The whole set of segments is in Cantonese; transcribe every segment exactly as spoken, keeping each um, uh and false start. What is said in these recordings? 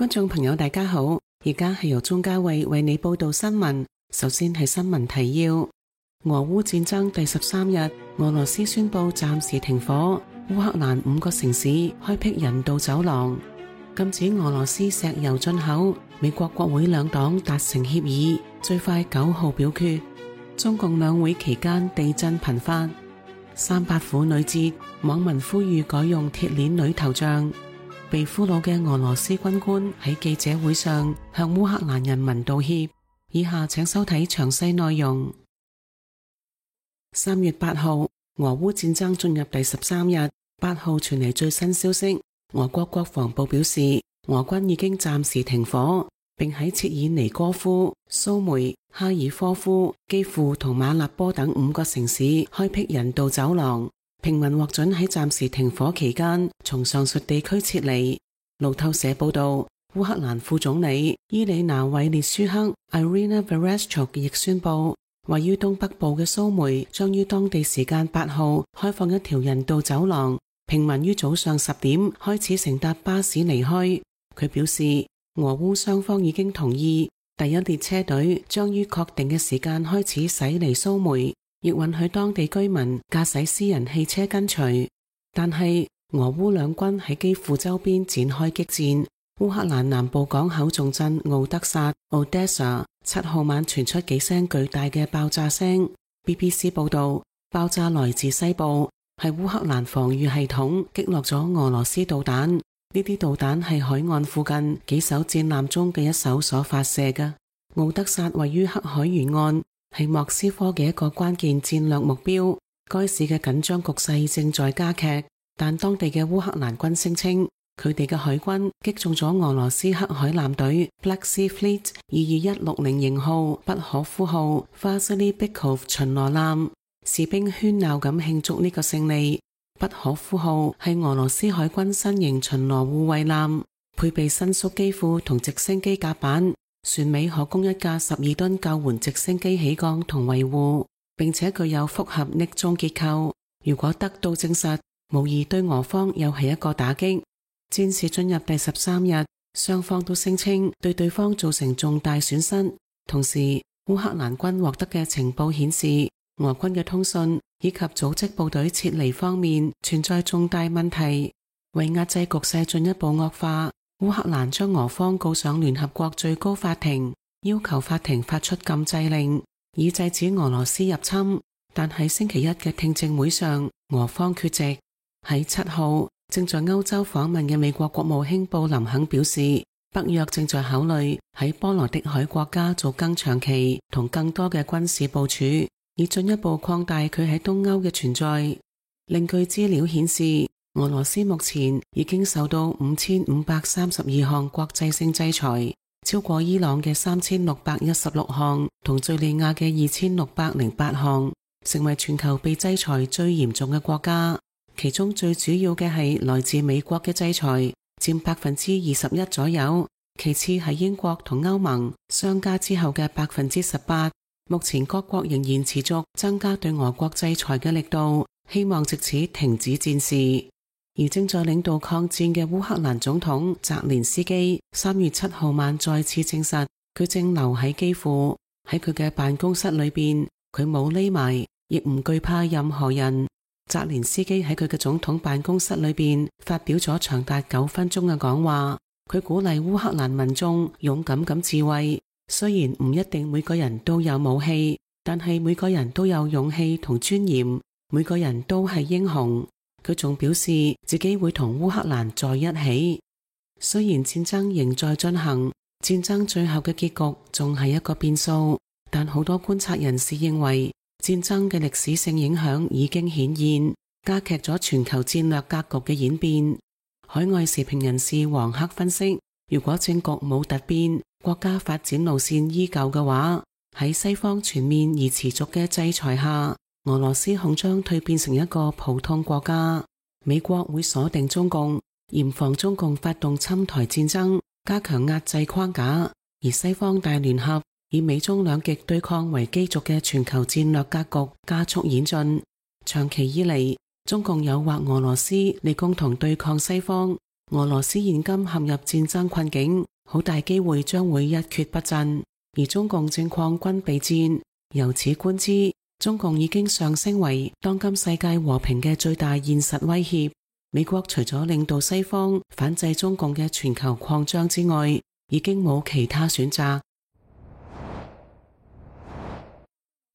觀眾朋友大家好，而家係由鍾嘉慧為你報道新聞。首先係新聞提要：俄烏戰爭第十三日，俄羅斯宣布暫時停火，烏克蘭五個城市開闢人道走廊，禁止俄羅斯石油進口。美國國會兩黨達成協議，最快九號表決。中共兩會期間地震頻發。三八婦女節，網民呼籲改用鐵鏈女頭像。被俘虜嘅俄羅斯軍官喺記者會上向烏克蘭人民道歉。以下請收睇詳細內容。三月八號，俄烏戰爭進入第十三日。八號傳嚟最新消息，俄國國防部表示，俄軍已經暫時停火，並喺切爾尼戈夫、蘇梅、哈爾科夫、基輔同馬立波等五個城市開闢人道走廊。平民獲准喺暫時停火期間從上述地區撤離。路透社報道，烏克蘭副總理伊里娜·韋列舒克 Irina Vereshchuk 亦宣布，位於東北部嘅蘇梅將於當地時間八號開放一條人道走廊，平民於早上十點開始乘搭巴士離開。佢表示，俄烏雙方已經同意第一列車隊將於確定嘅時間開始駛離蘇梅，亦允許當地居民駕駛私人汽車跟隨。但係俄烏兩軍喺基輔周邊展開激戰。烏克蘭南部港口重鎮敖德薩 Odessa 七號晚傳出幾聲巨大嘅爆炸聲。B B C 報道，爆炸來自西部，係烏克蘭防禦系統擊落咗俄羅斯導彈。呢啲導彈係海岸附近幾艘戰艦中嘅一艘所發射嘅。敖德薩位於黑海沿岸，係莫斯科嘅一個關鍵戰略目標。該市嘅緊張局勢正在加劇，但當地嘅烏克蘭軍聲稱，佢哋嘅海軍擊中咗俄羅斯黑海艦隊 Black Sea Fleet 二二一六零型號不可夫號 Vasily Bykov 巡邏艦，士兵喧鬧咁慶祝呢個勝利。不可夫號係俄羅斯海軍新型巡邏護衛艦，配備伸縮機庫同直升機甲板，船尾可供一架十二噸救援直升機起降同維護，並且具有複合匿蹤結構。如果得到證實，無疑對俄方又係一個打擊。戰事進入第十三日，雙方都聲稱對對方造成重大損失。同時，烏克蘭軍獲得嘅情報顯示，俄軍嘅通訊以及組織部隊撤離方面存在重大問題。為壓制局勢進一步惡化，烏克蘭將俄方告上聯合國最高法庭，要求法庭發出禁制令，以制止俄羅斯入侵。但喺星期一嘅聽證會上，俄方缺席。喺七號，正在歐洲訪問嘅美國國務卿布林肯表示，北約正在考慮喺波羅的海國家做更長期同更多嘅軍事部署，以進一步擴大佢喺東歐嘅存在。另據資料顯示，俄羅斯目前已經受到五千五百三十二項國際性制裁，超過伊朗嘅三千六百一十六項同敘利亞嘅二千六百零八項，成為全球被制裁最嚴重嘅國家。其中最主要嘅係來自美國嘅制裁，佔百分之二十一左右，其次係英國同歐盟，相加之後嘅百分之十八。目前各國仍然持續增加對俄國制裁嘅力度，希望藉此停止戰事。而正在領導抗戰嘅烏克蘭總統澤連斯基三月七號晚再次證實，佢正留喺基輔。喺佢嘅辦公室裏邊，佢冇匿埋，亦唔懼怕任何人。澤連斯基喺佢嘅總統辦公室裏邊發表咗長達九分鐘嘅講話，佢鼓勵烏克蘭民眾勇敢咁自衛。雖然唔一定每個人都有武器，但係每個人都有勇氣同尊嚴，每個人都係英雄。佢仲表示自己會同烏克蘭在一起。雖然戰爭仍在進行，戰爭最後嘅結局仲係一個變數，但好多觀察人士認為，戰爭嘅歷史性影響已經顯現，加劇咗全球戰略格局嘅演變。海外時評人士黃克分析，如果政局冇突變，國家發展路線依舊嘅話，喺西方全面而持續嘅制裁下，俄羅斯恐將蛻變成一個普通國家。美國會鎖定中共，嚴防中共發動侵台戰爭，加強壓制框架，而西方大聯合以美中兩極對抗為基軸嘅全球戰略格局加速演進。長期以嚟，中共誘惑俄羅斯嚟共同對抗西方。俄羅斯現今陷入戰爭困境，好大機會將會一蹶不振，而中共正況軍備戰。由此觀之，中共已經上升為當今世界和平嘅最大現實威脅。美國除咗領導西方反制中共嘅全球擴張之外，已經冇其他選擇。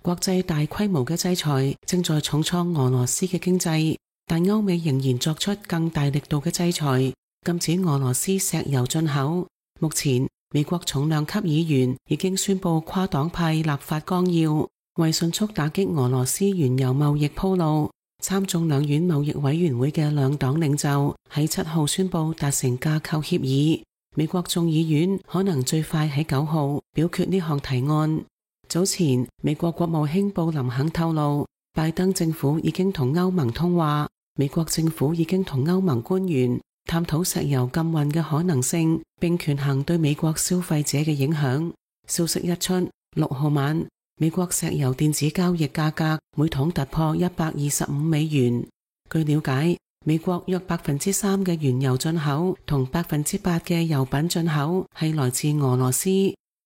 國際大規模嘅制裁正在重創俄羅斯嘅經濟，但歐美仍然作出更大力度嘅制裁，禁止俄羅斯石油進口。目前，美國重量級議員已經宣布跨黨派立法綱要，為迅速打擊俄羅斯原油貿易鋪路。參眾兩院貿易委員會嘅兩黨領袖喺七號宣布達成架構協議，美國眾議院可能最快喺九號表決呢項提案。早前，美國國務卿布林肯透露，拜登政府已經同歐盟通話，美國政府已經同歐盟官員探討石油禁運嘅可能性，並權衡對美國消費者嘅影響。消息一出，六號晚，美國石油電子交易價格每桶突破一百二十五美元。據了解，美國約百分之三嘅原油進口同百分之八嘅油品進口係來自俄羅斯。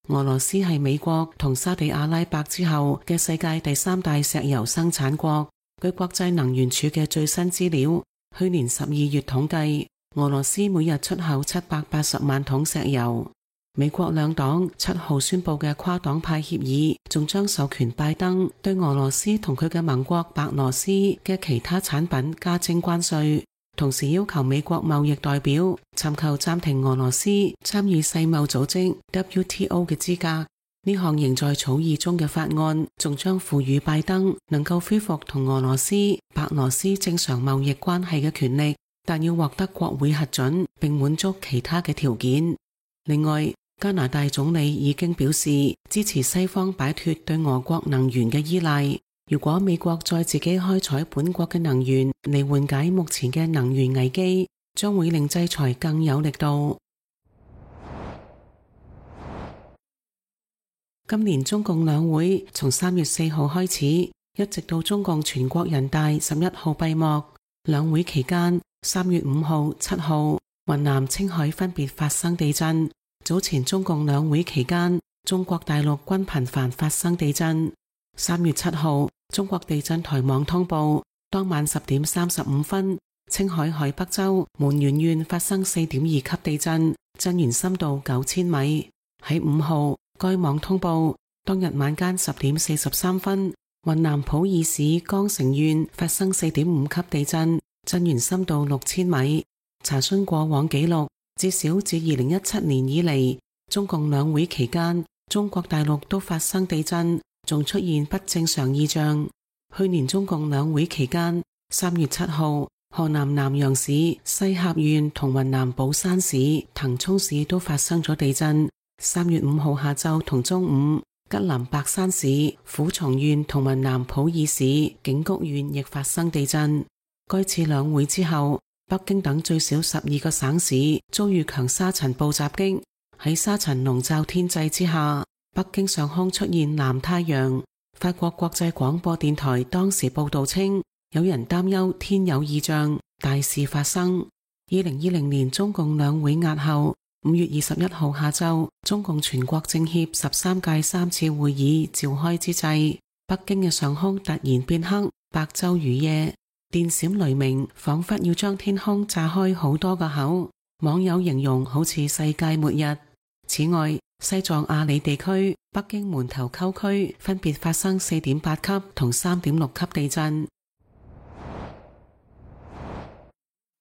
俄羅斯係美國同沙地阿拉伯之後嘅世界第三大石油生產國。據國際能源署嘅最新資料，去年十二月統計，俄羅斯每日出口七百八十萬桶石油。美國兩黨七號宣布嘅跨黨派協議，仲將授權拜登對俄羅斯同佢嘅盟國白羅斯嘅其他產品加徵關稅，同時要求美國貿易代表尋求暫停俄羅斯參與世貿組織 W T O 嘅資格。呢項仍在草擬中嘅法案，仲將賦予拜登能夠恢復同俄羅斯、白羅斯正常貿易關係嘅權力，但要獲得國會核准並滿足其他嘅條件。另外，加拿大總理已經表示支持西方擺脫對俄國能源嘅依賴。如果美國再自己開採本國嘅能源嚟緩解目前嘅能源危機，將會令制裁更有力度。今年中共兩會從三月四號開始，一直到中共全國人大十一號閉幕。兩會期間，三月五號、七號，雲南、青海分別發生地震。早前中共兩會期間，中國大陸均頻繁發生地震。三月七號，中國地震台網通報，當晚十點三十五分，青海海北州門源縣發生四點二級地震，震源深度九千米。喺五號，該網通報，當日晚間十點四十三分，雲南普洱市江城縣發生四點五級地震，震源深度六千米。查詢過往記錄，至少自二零一七年以嚟，中共兩會期間，中國大陸都發生地震，仲出現不正常異象。去年中共兩會期間，三月七號，河南南陽市西峽縣同雲南保山市騰衝市都發生咗地震。三月五號下晝同中午，吉林白山市虎松縣同雲南普洱市景谷縣亦發生地震。該次兩會之後，北京等最少十二個省市遭遇強沙塵暴襲擊。喺沙塵籠罩天際之下，北京上空出現藍太陽。法國國際廣播電台當時報道稱，有人擔憂天有異象，大事發生。二零二零年中共兩會押後，五月二十一號下晝，中共全國政協十三屆三次會議召開之際，北京嘅上空突然變黑，白晝如夜，電閃雷鳴，仿佛要將天空炸開好多個口。網友形容好似世界末日。此外，西藏阿里地區、北京門頭溝區分別發生四點八級同三點六級地震。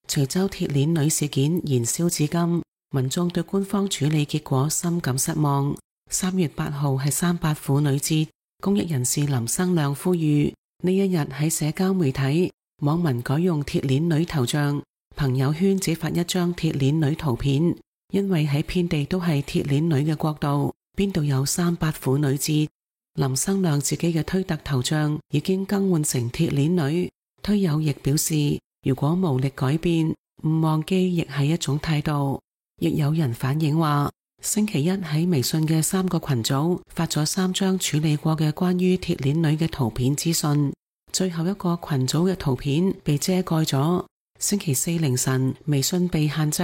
徐州鐵鏈女事件燃燒至今，民眾對官方處理結果深感失望。三月八號係三八婦女節，公益人士林生亮呼籲呢一日喺社交媒體，網民改用鐵鏈女頭像，朋友圈只發一張鐵鏈女圖片，因為喺遍地都係鐵鏈女嘅國度，邊度有三八婦女節？林生亮自己嘅推特頭像已經更換成鐵鏈女，推友亦表示，如果無力改變，唔忘記亦係一種態度。亦有人反映話，星期一喺微信嘅三個群組發咗三張處理過嘅關於鐵鏈女嘅圖片資訊，最後一個群組嘅圖片被遮蓋咗。星期四凌晨，微信被限制，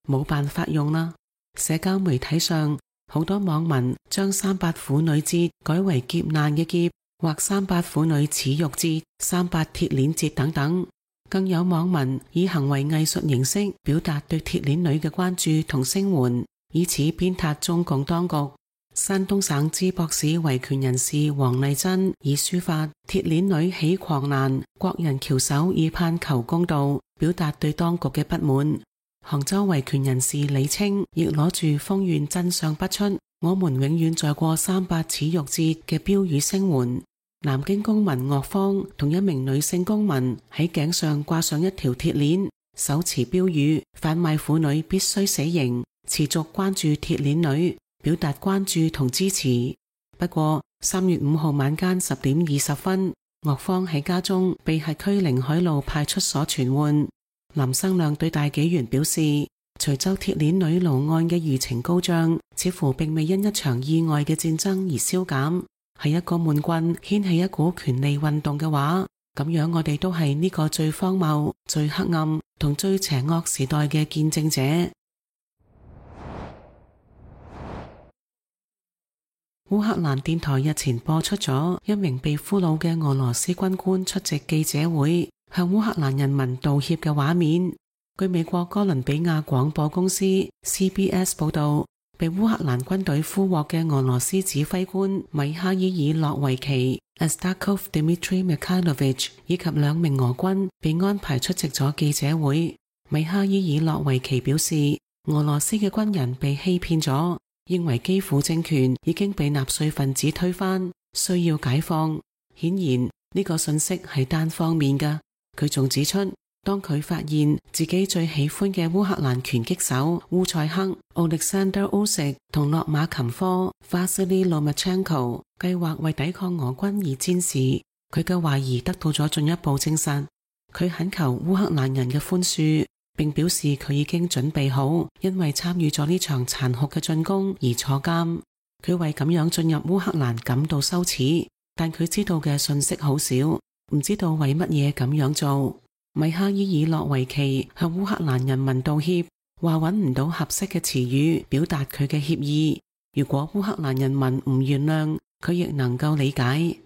冇辦法用啦。社交媒體上，好多網民將三八婦女節改為劫難嘅劫，或三八婦女恥辱節、三八鐵鏈節等等。更有網民以行為藝術形式表達對鐵鏈女嘅關注同聲援，以此鞭撻中共當局。山東省淄博市維權人士黃麗珍以書法鐵鏈女起狂瀾，國人翹首以盼求公道，表達對當局嘅不滿。杭州維權人士李清亦攞住風願真相不出，我們永遠在過三八恥辱節嘅標語聲援。南京公民岳芳同一名女性公民喺頸上掛上一條鐵鏈，手持標語販賣婦女必須死刑，持續關注鐵鏈女，表達關注同支持。不過三月五號晚間十點二十分，岳芳喺家中被轄區寧海路派出所傳喚。林生亮對大紀元表示，徐州鐵鏈女奴案嘅輿情高漲，似乎並未因一場意外嘅戰爭而消減。係一個悶棍掀起一股權利運動嘅話，咁樣我哋都係呢個最荒謬、最黑暗同最邪惡時代嘅見證者。烏克蘭電台日前播出咗一名被俘虜嘅俄羅斯軍官出席記者會，向烏克蘭人民道歉嘅畫面。據美國哥倫比亞廣播公司 C B S 報道，被烏克蘭軍隊俘獲嘅俄羅斯指揮官米哈伊爾洛維奇 Astakov Dmitry Mikhailovich 以及兩名俄軍被安排出席咗記者會。米哈伊爾洛維奇表示，俄羅斯嘅軍人被欺騙咗，認為基輔政權已經被納粹分子推翻，需要解放。顯然呢個信息係單方面嘅。佢仲指出，當佢發現自己最喜歡嘅烏克蘭拳擊手烏塞克、Alexander Usyk 同洛馬琴科 Vasily Lomachenko 計劃為抵抗俄軍而戰時，佢嘅懷疑得到咗進一步證實。佢懇求烏克蘭人嘅寬恕，並表示佢已經準備好因為參與咗呢場殘酷嘅進攻而坐監。佢為咁樣進入烏克蘭感到羞恥，但佢知道嘅信息好少，唔知道為乜嘢咁樣做。米哈伊爾洛維奇向烏克蘭人民道歉，話揾唔到合適嘅詞語表達佢嘅歉意。如果烏克蘭人民唔原諒，佢亦能夠理解。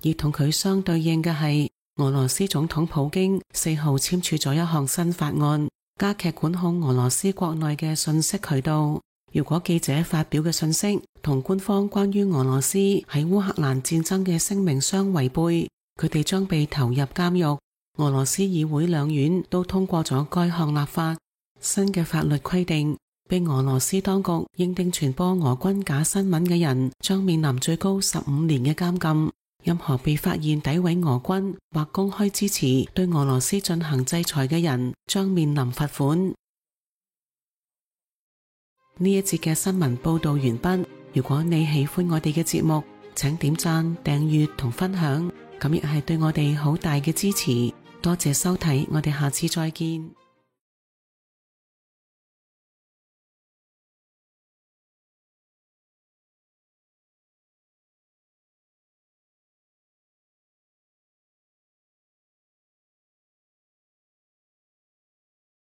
而同佢相對應嘅係，俄羅斯總統普京四號簽署咗一項新法案，加劇管控俄羅斯國內嘅信息渠道。如果記者發表嘅信息同官方關於俄羅斯喺烏克蘭戰爭嘅聲明相違背，佢哋將被投入監獄。俄羅斯議會兩院都通過咗該項立法。新嘅法律規定，被俄羅斯當局認定傳播俄軍假新聞嘅人將面臨最高十五年嘅監禁。任何被發現詆毀俄軍或公開支持對俄羅斯進行制裁嘅人將面臨罰款。呢一節嘅新聞報道完畢。如果你喜歡我哋嘅節目，請點讚、訂閱同分享，咁亦係對我哋好大嘅支持。多謝收睇，我哋下次再見。